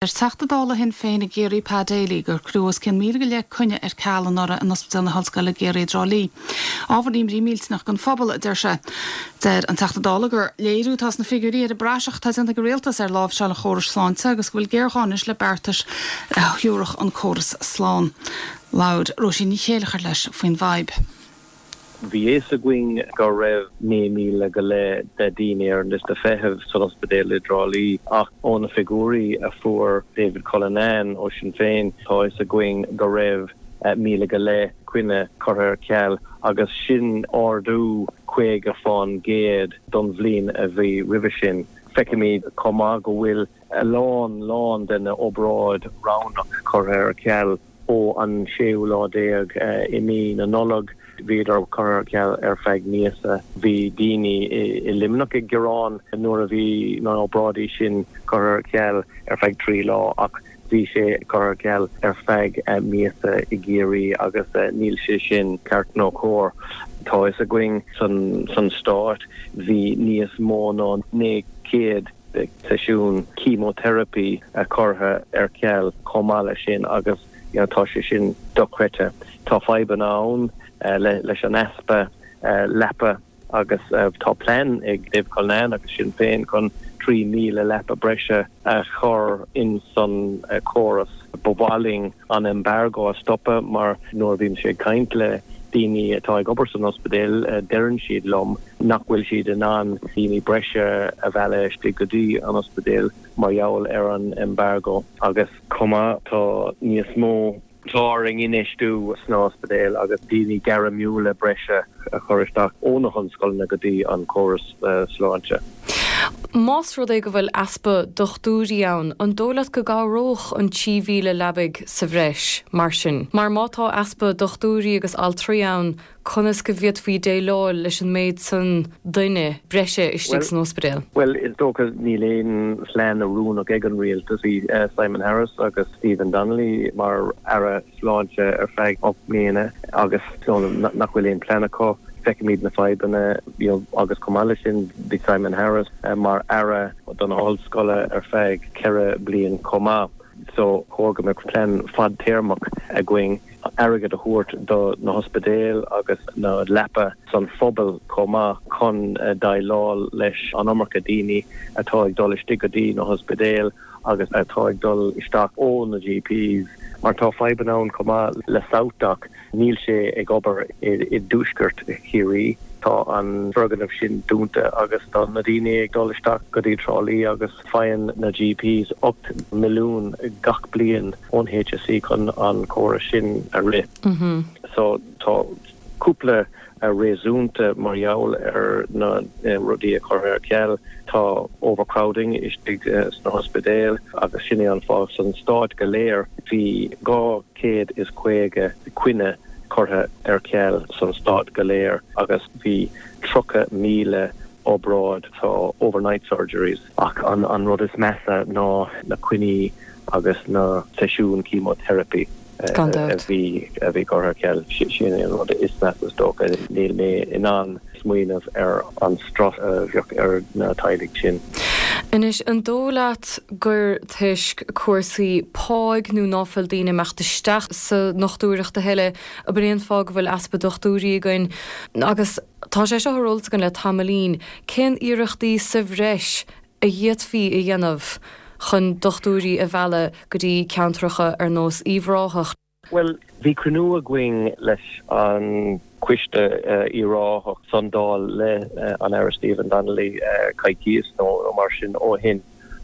Deir Teachta Dála Shinn Féin i gCiarraí Pa Daly gur cuireadh os cionn 1,000 go leith coinne ar ceal anuraidh in Ospidéal na hOllscoile Ciarraí i dTrá Lí. Ábhar imní millteanach don phobal, a deir sé. Deir an Teachta Dála gur léiriú atá sna figiúirí ar an bpraiseach atá déanta ag an Rialtas ar láimhseáil an chórais sláinte agus go bhfuil géarghá anois le beartais a thabharfadh an córas slán. Labhair Róisín Ní Chéileachair leis faoin bhfadhb. Bhí fhios againn go raibh 9,000 go leith de daoine ar an liosta feithimh san ospidéal i dTrá Lí ach ó na figiúirí a fuair David Cullinane ó Sinn Féin tá fhios againn go raibh 1,000 go leith coinne curtha ar ceal agus sin ardú 50% don bhliain a bhí roimhe sin. Feicimid chomh maith go bhfuil a lán lán de na obráid roghnach curtha ar ceal ó an séú lá déag i mí na Nollag. Bhíodar curtha ar ceal ar feadh míosa. Bhí daoine i Luimneach ag gearán nuair a bhí na obráidí sin curtha ar ceal ar feadh 3 lá ach bhí sé curtha ar ceal ar feadh míosa i gCiarraí agus níl sé sin ceart nó cóir. Tá fhios againn san Stát bhí níos mó ná 900 seisiún chemotherapi curtha ar ceal chomh maith leis sin agus you know tá sé sin dochreidte. Tá fadhbanna ann leis an easpa leapa agus tá plean ag Dave Cullinane agus Sinn Féin chun 3,000 leapa breise a chur in san córas. Ba mhaith linn an embargo a stopadh mar nuair a bhímse ag caint le daoine atá ag obair san ospidéal deireann siad liom nach bhfuil siad in ann daoine breise a mhealladh istigh go dtí an ospidéal mar gheall ar an embargo agus chomh maith tá níos mó Tá orainn infheistiú sna hospidéil agus daoine gairmiúla breise a chur isteach ó na hollscoileanna go dtí an córas sláinte. Más rud é go bhfuil easpa dochtúirí ann, an dóigh leat go gcabhródh an 3,000 leabaidh sa bhreis, mar sin? Mar má tá easpa dochtúirí agus altraí ann, conas go bhféadfaí déileáil leis an méid san duine breise istigh san ospidéal? Bhuel, is dócha níl aon phlean oiriúnach ag an rialtas. Bhí Simon Harris agus Stephen Donnelly mar Aire Sláinte ar feadh 8 mbliana agus nach bhfuil aon plean acu. Feicimid na fadhbanna agus chomh maith leis sin bhí Simon Harris mar Aire do na hOllscoile ar feadh 4 bliain chomh maith. So chóir go mbeadh plean fadtéarmach againn. airgead a thabhairt do na hospidéil agus na leapa san phobal chomh maith chun déileáil leis an iomarca daoine atá ag dul istigh go dtí na hospidéil agus atá ag dul isteach ó na GPs mar tá fadhbanna ann chomh maith le SouthDoc. Níl sé ag obair i dtuaisceart Chiarraí. Tá an foirgneamh sin dúnta agus tá na daoine ag dul isteach go dtí Trá Lí agus Faigheann na GPs 8 milliún gach bliain ón HSE chun an córas sin a rith. So tá cúpla réasúnta mar gheall ar na rudaí a curtha ar ceal. Tá overcrowding istigh sna hospidéil agus sin é an fáth san stát go léir bhí 250 coinne curtha ar ceal san stát go léir agus bhí 30,000 obráid, tá overnight surgeries, ach an rud is measa ná na coinní agus na seisiúin chemotherapy a bhí a bhí curtha ar ceal. Sin é an rud is measa is dócha. Níl mé in ann smaoineamh ar an strus a bheadh ar na teaghlaigh sin. Anois, an dóigh leat gur toisc cúrsaí páigh nó ná fuil daoine imeacht isteach sa ndochtúireacht a thuilleadh ab in é an fáth go bhfuil easpa dochtúirí againn agus Tá sé seo ar eolas againn le tamaillín. Cén iarrachtaí sa bhreis a d'fhéadfaí a dhéanamh chun dochtúirí a mhealladh go dtí ceantracha ar nós Uíbh Ráthach? Bhuel, bhí cruinniú againn leis an Coiste Uíbh Ráthach san Dáil le an Aire Stephen Donnelly coicíos nó mar sin ó shin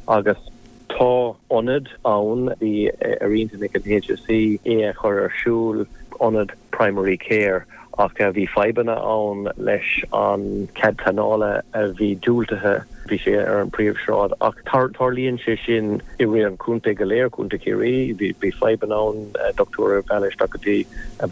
agus tá ionad ann, bhí ar intinn ag an HSE é a chur ar siúl, ionad primary care ach bhí fadhbanna ann leis an cead pleanála a bhí diúltaithe, bhí sé ar an príomhshráid ach tarlaíonn sé sin i rith an chontae go léir, Contae Chiarraí, bhí fadhbanna ann dochtúir a mhealladh isteach go dtí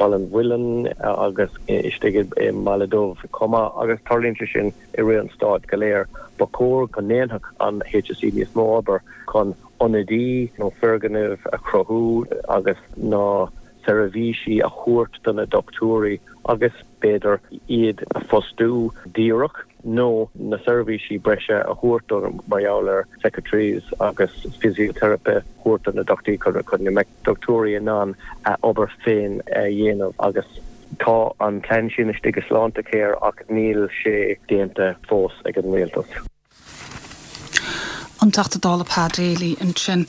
Baile an Mhuilinn agus istigh i mBaile Dubh chomh maith agus tarlaíonn sé sin i rith an stáit go léir. Ba chóir go ndéanfadh an HSE níos mó obair chun ionadaí nó foirgnimh a chruthú agus na seirbhísí a thabhairt do na dochtúirí agus b'fhéidir iad a phostú díreach. nó na seirbhísí breise a thabhairt do mar gheall ar secretaries agus physiotherapy a thabhairt do na dochtúirí chun go mbeadh dochtúirí in ann a obair féin a dhéanamh agus tá an plean sin istigh i Sláintecare ach níl sé déanta fós ag an rialtas. An Teachta Dála Pa Daly ansin.